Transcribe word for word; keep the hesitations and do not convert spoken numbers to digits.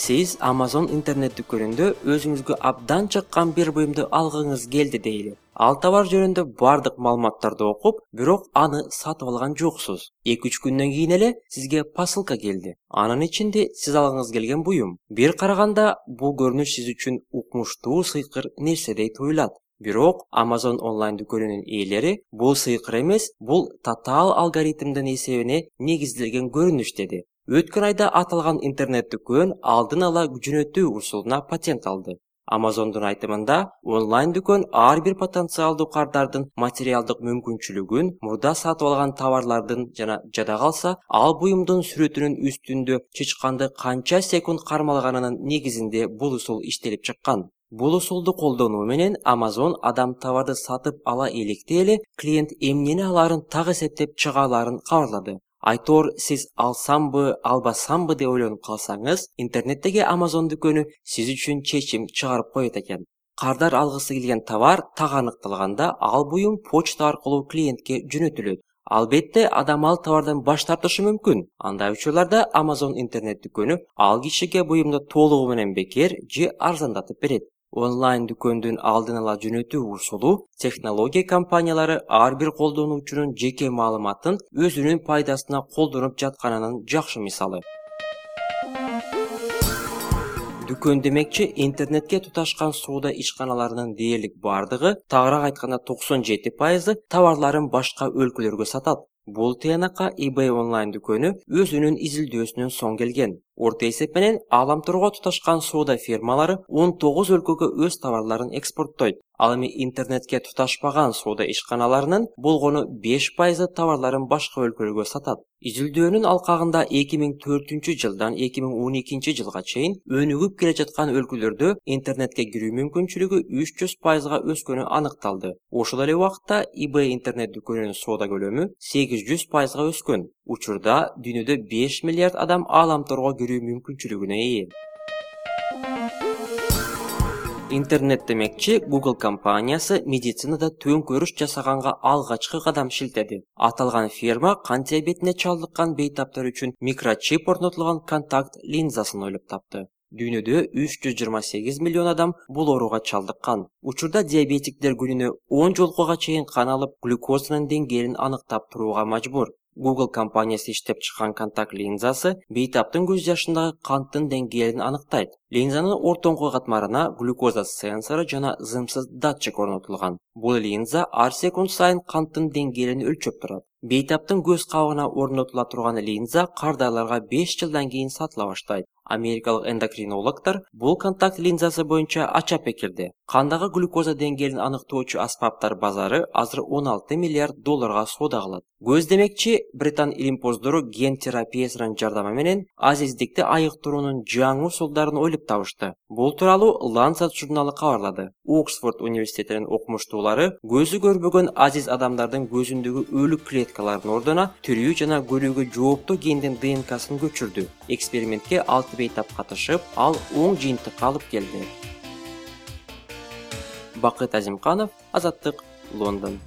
Сиз Amazon интернет дүкөнүндө өзүңүзгө абдан чыккан бир буюмду алгыңыз келди дейли. Ал товар жөнүндө бардык маалыматтарды окуп, бирок аны сатып алган жоксуз. эки үч күндөн кийин эле сизге посылка келди. Анын ичинде сиз алгыңыз келген буюм. Бир караганда бул көрүнүш сиз үчүн укмуштуу сыйкыр нерседей туюлат. Бирок Amazon онлайн дүкөнүнүн ээлери бул сыйкыр эмес, бул татаал алгоритмдин эсебине негизделген көрүнүш деди. Өткөн айда аталган интернет дүкөн алдын ала жөнөтүү усулуна патент алды. Amazon'дун айтымында, онлайн дүкөн ар бир потенциалдуу кардардын материалдык мүмкүнчүлүгүн, мурда сатып алган товарлардын жана жада калса, ал буюмдун сүрөтүнүн үстүндө чычканды канча секунд кармалганынын негизинде бул усул иштелип чыккан. Бул усулду колдонуу менен Amazon адам товарды сатып ала электе эле клиент эмнени алаарын так эсептеп чыга алаарын кабарлады. Айтор, сиз алсамбы, албасамбы деп ойлонуп калсаңыз, интернеттеги Amazon дүкөнү сиз үчүн чечим чыгарып коет экен. Кардар алгысы келген товар так аныкталганда, ал буюм почта аркылуу клиентке жөнөтүлөт. Албетте, адам ал товардан баш тартышы мүмкүн. Андай учурларда Amazon интернет дүкөнү ал кишиге буюмду толугу менен бекер же арзандатып берет. Онлайн дүкөндүн алдын ала жөнөтүү усулу технология компаниялары ар бир колдонуучунун жеке маалыматын өзүнүн пайдасына колдонуп жатканынын жакшы мисалы. Дүкөн демекчи, интернетке туташкан соода ишканаларынын дээрлик бардыгы, тагыраак айтканда токсон жети пайызы товарларын башка өлкөлөргө сатат. Бул тыянакка eBay онлайн дүкөнү өзүнүн изилдөөсүнөн соң келген. Орто эсеп менен ааламтурга туташкан соода фирмалары он тогуз өлкөгө өз товарларын экспорттойт. Ал эми интернетке туташпаган соода ишканаларынын болгону беш пайызы товарларын башка өлкөлөргө сатат. Изилдөөнүн алкагында эки миң төртүнчү жылдан эки миң он экинчи жылга чейин өнүгүп келе жаткан өлкөлөрдө интернетке кирүү мүмкүнчүлүгү үч жүз пайызга өскөнү аныкталды. Ошол эле убакытта eBay интернет дүкөнүнүн соода көлөмү сегиз жүз пайызга өскөн. Учурда дүйнөдө беш миллиард адам ааламтурга кирүү мүмкүнчүлүгүнө ээ. Интернет демекчи, Google компаниясы медицинада төңкөрүш жасаганга алгачкы кадам шилтеди. Аталган фирма кан диабетине чалдыккан бейтаптар үчүн микрочип орнотулган контакт линзасын ойлоп тапты. Дүйнөдө үч жүз жыйырма сегиз миллион адам бул ооруга чалдыккан. Учурда диабетиктер күнүнө он жолкуга чейин кан алып, глюкозанын деңгээлин аныктап турууга мажбур. Google компаниясы иштеп чыккан контакт линзасы бейтаптын көз жашындагы канттын деңгээлин аныктайт. Линзанын ортоңку катмарына глюкоза сенсору жана зымсыз датчик орнотулган. Бул линза ар секунд сайын канттын деңгээлин өлчөп турат. Бейтаптын көз кабыгына орнотула турган линза кардайларга беш жылдан кийин сатыла баштайт. Америкалык эндокринологдор бул контакт линзасы боюнча ача пикирде. Кандагы глюкоза деңгээлин аныктоочу аспаптар базары азыр он алты миллиард долларга соода кылат. Көз демекчи, Британ илимпоздору ген терапиясынын жардамы менен азиздикти айыктыруунун жаңы усулдарын ойлоп табышты. Бул тууралуу Lancet журналы кабарлады. Оксфорд университетинин окумуштуулары көзү көрбөгөн азиз адамдардын көзүндөгү өлүк клеткалардын ордуна тирүү жана көрүүгө жооптуу гендин ДНКсын көчүрдү. Экспериментке алты бейтап катышып, ал оң жыйынтыкка алып келди. Бакыт Азимканов, Азаттык, Лондон.